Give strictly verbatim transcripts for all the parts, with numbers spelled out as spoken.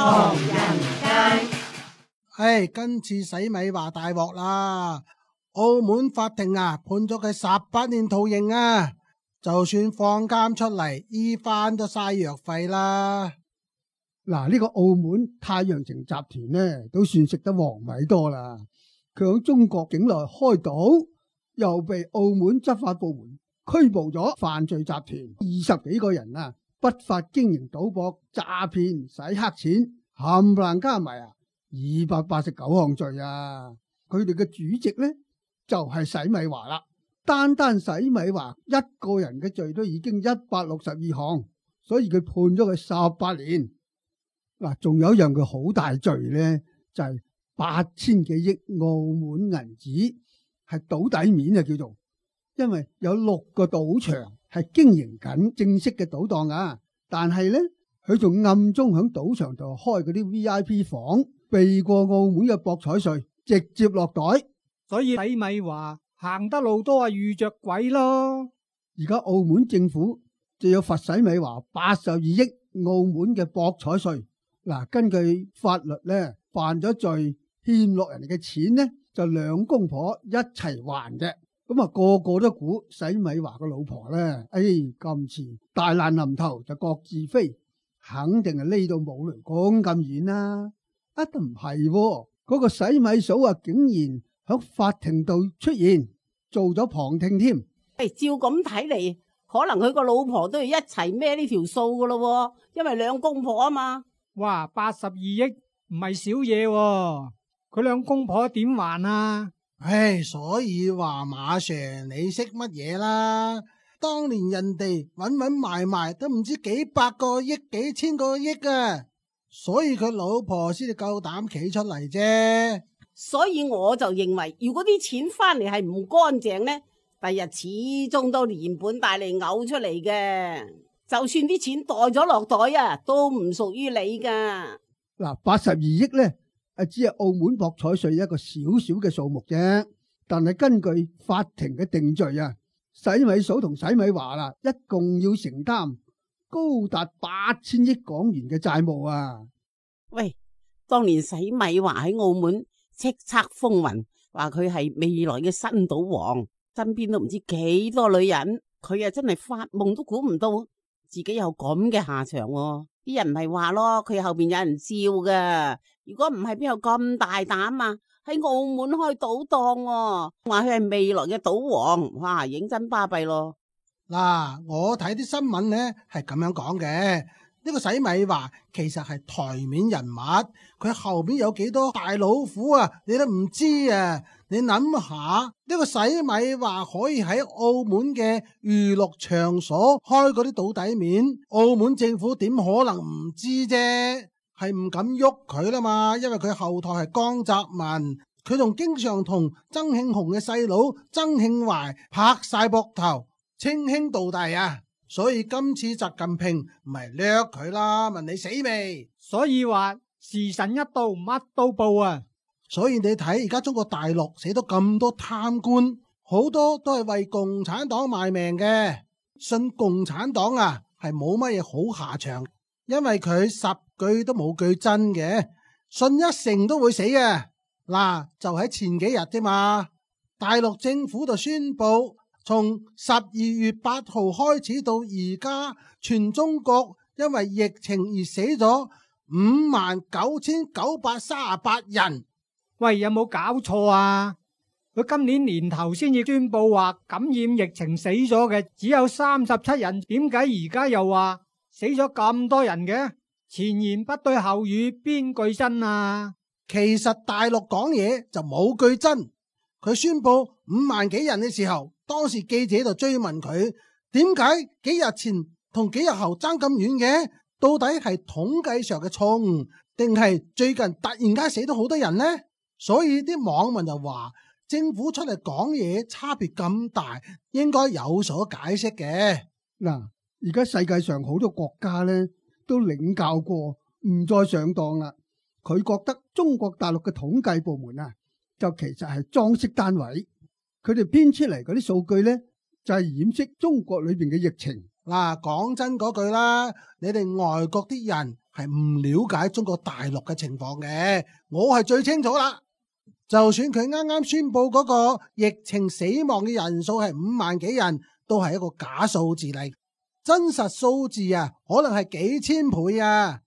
唐人街。唉，今次洗米華大鑊啦！澳門法庭啊，判咗佢十八年徒刑啊！就算放監出嚟，醫翻都嘥藥費啦。嗱，呢個澳門太陽城集團呢，都算食得黃米多啦。佢響中國境內開賭，又被澳門執法部門拘捕咗犯罪集團二十幾個人啊，不法經營賭博、詐騙、洗黑錢，冚唪唥加埋啊，二百八十九項罪啊！佢哋嘅主席呢，就係洗米華啦。單單洗米華一個人嘅罪都已經一百六十二項，所以佢判咗佢十八年。嗱，仲有一樣佢好大罪呢，就係八千幾億澳門銀紙係賭底面啊，叫做，因為有六個賭場係經營緊正式嘅賭檔啊，但係呢，佢仲暗中響賭場度開嗰啲 V I P 房，避過澳門嘅博彩稅，直接落袋。所以洗米華行得路都係遇着鬼咯。而家澳門政府就要罰洗米華八十二億澳門嘅博彩稅。嗱，根據法律咧，犯咗罪欠落人哋嘅錢呢，就兩公婆一齊還嘅。咁啊，個個都估洗米華個老婆咧，哎，今次大難臨頭就各自飛，肯定係匿到冇雷公咁遠啦。啊，都唔係喎，嗰個洗米嫂啊，竟然喺法庭度出現，做咗旁聽添。誒，照咁睇嚟，可能佢個老婆都要一齊孭呢條數噶咯，因為兩公婆啊嘛。哇，八十二億唔係少嘢喎，佢兩公婆點還啊？唉，所以話馬 Sir 你識乜嘢啦？當年人哋搵搵埋埋都唔知幾百個億、幾千個億啊，所以佢老婆先至夠膽企出嚟啫。所以我就認為，如果啲錢翻嚟係唔乾淨呢，第日始終都連本帶利嘔出嚟嘅。就算啲錢袋咗落袋啊，都唔屬於你噶。嗱，八十二億咧，誒，只係澳門博彩稅一個小小嘅數目啫。但係根據法庭嘅定罪啊，洗米嫂同洗米華啦，一共要承擔高達八千億港元嘅債務啊！喂，當年洗米華喺澳門叱咤風雲，話佢係未來嘅新賭王，身邊都唔知幾多女人，佢啊真係發夢都估唔到自己有咁嘅下場喎。啲人唔係話咯，佢後邊有人照噶。如果唔係，邊有咁大膽啊？喺澳門開賭檔，話佢係未來嘅賭王，哇，認真巴閉咯。嗱，我睇啲新聞呢係咁樣講嘅，呢個洗米華其實係台面人物，佢後邊有幾多大老虎啊，你都唔知啊。你諗下，呢個洗米華可以喺澳門嘅娛樂場所開嗰啲賭底面，澳門政府點可能唔知啫？係唔敢喐佢啦嘛，因為佢後台係江澤民，佢仲經常同曾慶紅嘅細佬曾慶懷拍晒膊頭，稱兄道弟啊。所以今次習近平唔係掠佢啦，問你死未？所以話時辰一到，乜都報啊！所以你睇而家中國大陸死咗咁多貪官，好多都係為共產黨賣命嘅。信共產黨啊，係冇乜嘢好下場，因為佢十句都冇句真嘅，信一成都會死嘅。嗱，就喺前幾日啫嘛，大陸政府就宣布，從十二月八號開始到而家，全中國因為疫情而死咗五萬九千九百三十八人。喂，有冇搞錯啊？佢今年年頭先至宣布話感染疫情死咗嘅只有三十七人，點解而家又話死咗咁多人嘅？前言不對後語，邊句真啊？其實大陸講嘢就冇句真。佢宣布五萬幾人嘅時候，當時記者就追問佢，點解幾日前同幾日後爭咁遠嘅？到底係統計上嘅錯誤，定係最近突然間死咗好多人呢？所以啲網民就話，政府出嚟講嘢差別咁大，應該有所解釋嘅。嗱，而家世界上好多國家咧都領教過，唔再上當啦。佢覺得中國大陸嘅統計部門啊，就其實係裝飾單位，佢哋編出嚟嗰啲數據咧就係掩飾中國裏邊嘅疫情。嗱，講真嗰句啦，你哋外國啲人係唔了解中國大陸嘅情況嘅，我係最清楚啦。就算佢啱啱宣布嗰個疫情死亡嘅人數係五萬幾人，都係一個假數字嚟，真實數字啊，可能係幾千倍啊。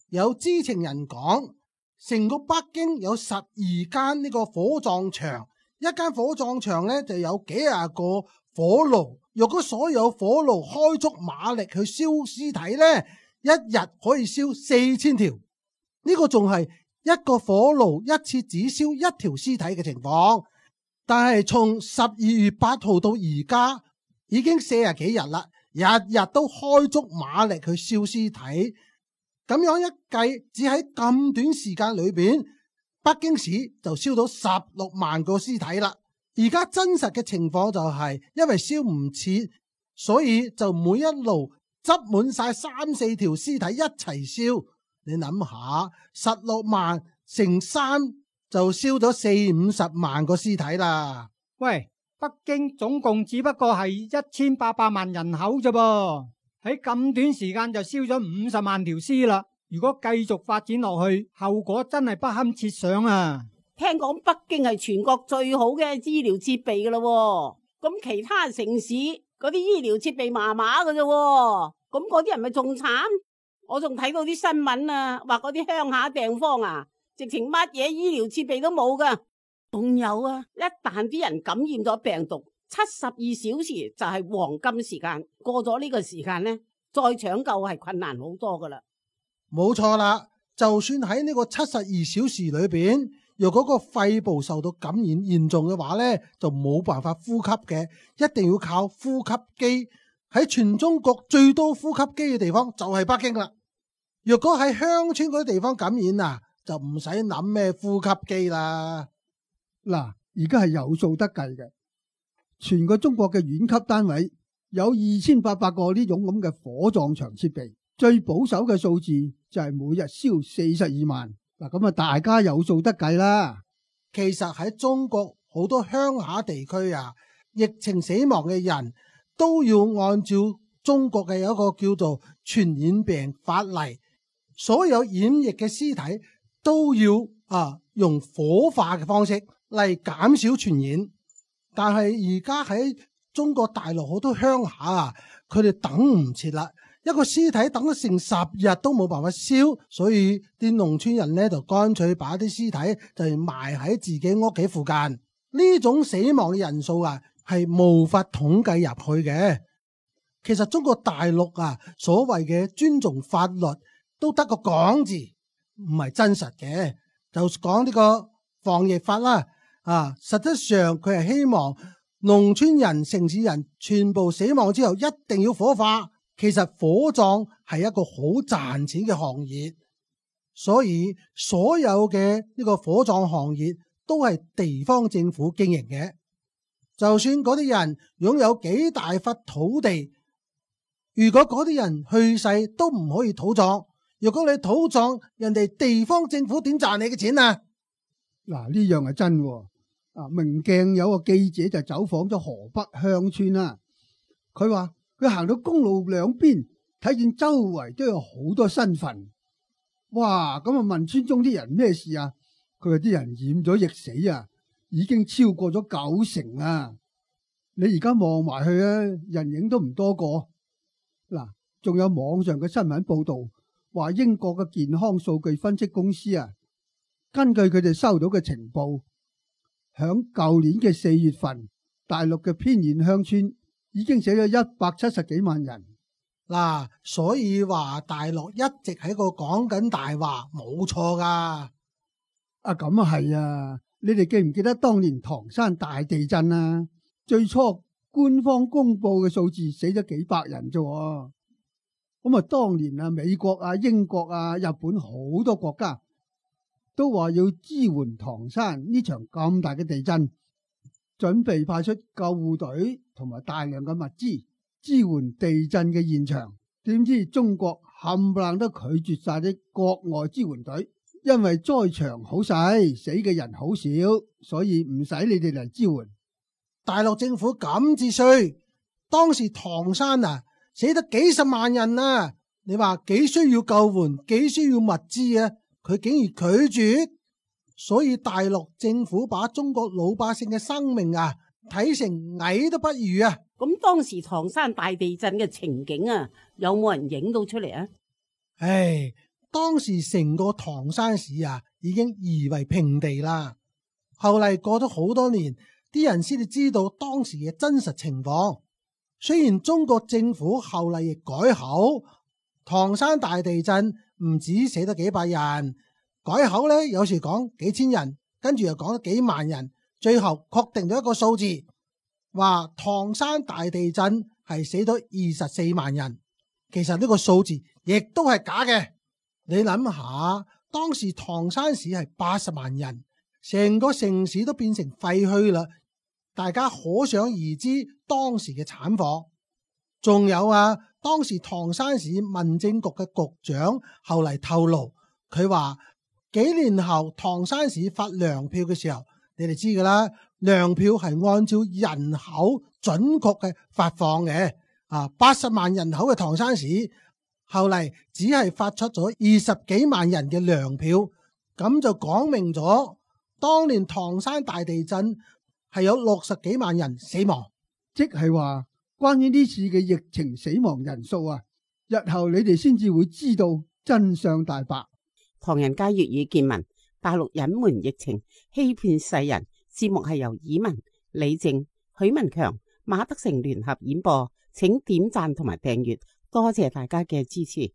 有知情人講，成個北京有十二間呢個火葬場，一間火葬場呢就有幾廿個火爐，若果所有火爐開足馬力去燒屍體呢，一日可以燒四千條。呢個仲係一個火爐一次只燒一條屍體嘅情況，但係從十二月八號到而家已經四十幾日啦，日日都開足馬力去燒屍體，咁樣一計，只喺咁短時間裏邊，北京市就燒到十六萬個屍體啦。而家真實嘅情況就係，因為燒唔切，所以就每一爐執滿晒三四條屍體一齊燒。你諗下，十六萬乘三就燒咗四五十萬個屍體啦。喂，北京總共只不過係一千八百萬人口啫噃，喺咁短時間就燒咗五十萬條屍啦。如果繼續發展落去，後果真係不堪設想啊！聽講北京係全國最好嘅醫療設備噶啦，咁其他城市嗰啲醫療設備麻麻噶啫，咁嗰啲人咪仲慘？我仲睇到啲新聞啊，話嗰啲鄉下地方啊，直情乜嘢醫療設備都冇噶。仲有啊，一旦啲人感染咗病毒，七十二小時就係黃金時間，過咗呢個時間呢，再搶救係困難好多噶啦。冇錯啦，就算喺呢個七十二小時裏邊，若果個肺部受到感染嚴重嘅話呢，就冇辦法呼吸嘅，一定要靠呼吸機。喺全中國最多呼吸機嘅地方就係北京啦。若果喺鄉村嗰啲地方感染啊，就唔使諗咩呼吸機啦。嗱，而家係有數得計嘅，全個中國嘅縣級單位有二千八百個呢種咁嘅火葬場設備，最保守嘅數字就係每日燒四十二萬。嗱，咁啊，大家有數得計啦。其實喺中國好多鄉下地區啊，疫情死亡嘅人都要按照中國嘅有一個叫做傳染病法例，所有染疫嘅屍體都要啊用火化嘅方式嚟減少傳染。但係而家喺中國大陸好多鄉下啊，佢哋等唔切啦，一個屍體等咗成十日都冇辦法燒，所以啲農村人咧就乾脆把啲屍體就埋喺自己屋企附近。呢種死亡嘅人數啊，係無法統計入去嘅。其實中國大陸啊，所謂嘅尊重法律都得個講字，唔係真實嘅。就講呢個防疫法啦，啊，實質上佢係希望農村人、城市人全部死亡之後一定要火化。其實火葬係一個好賺錢嘅行業，所以所有嘅呢個火葬行業都係地方政府經營嘅。就算嗰啲人擁有幾大忽土地，如果嗰啲人去世都唔可以土葬。如果你土葬，人哋地方政府點賺你嘅錢啊？嗱，呢樣係真喎。啊，明鏡有個記者就走訪咗河北鄉村啦，佢話佢行到公路兩邊，睇見周圍都有好多新墳。哇！咁啊問村中啲人咩事啊？佢話啲人染咗疫死啊，已經超過咗九成啊！你而家望埋去啊，人影都唔多個。嗱，仲有網上嘅新聞報道，話英國嘅健康數據分析公司啊，根據佢哋收到嘅情報，響舊年嘅四月份，大陸嘅偏遠鄉村已經死咗一百七十幾萬人。嗱，所以話大陸一直喺個講緊大話，冇錯噶。啊，咁啊係啊！你哋記唔記得當年唐山大地震啊？最初官方公布嘅數字死咗幾百人啫。咁啊，當年啊，美國啊、英國啊、日本好多國家都話要支援唐山呢場咁大嘅地震，準備派出救護隊同埋大量嘅物資支援地震嘅現場。點知中國冚唪唥都拒絕晒啲國外支援隊，因為災場好細，死嘅人好少，所以唔使你哋嚟支援。大陸政府咁至衰，當時唐山啊死得幾十萬人啊，你話幾需要救援，幾需要物資啊，佢竟然拒絕。所以大陸政府把中國老百姓嘅生命啊睇成蟻都不如啊。咁當時唐山大地震嘅情景啊，有冇人影到出嚟啊？唉，當時成個唐山市啊已經夷為平地啦。後嚟過咗好多年，啲人先至知道當時嘅真實情況。雖然中國政府後嚟亦改口，唐山大地震唔止死咗幾百人，改口呢有時講幾千人，跟住又講咗幾萬人，最後確定咗一個數字，話唐山大地震係死咗二十四萬人。其實呢個數字亦都係假嘅。你諗下，當時唐山市係八十萬人，成個城市都變成廢墟啦，大家可想而知當時嘅慘況。仲有啊，當時唐山市民政局嘅局長後嚟透露，佢話幾年後唐山市發糧票嘅時候，你哋知噶啦，糧票係按照人口準確嘅發放嘅。啊，八十萬人口嘅唐山市，後嚟只係發出咗二十幾萬人嘅糧票，咁就講明咗當年唐山大地震係有六十幾萬人死亡。即係話關於呢次嘅疫情死亡人數啊，日後你哋先至會知道真相大白。唐人街粵語見聞，大陸隱瞞疫情，欺騙世人。節目係由以文、李靜、許文強、馬德成聯合演播，請點讚同埋訂閱，多謝大家嘅支持。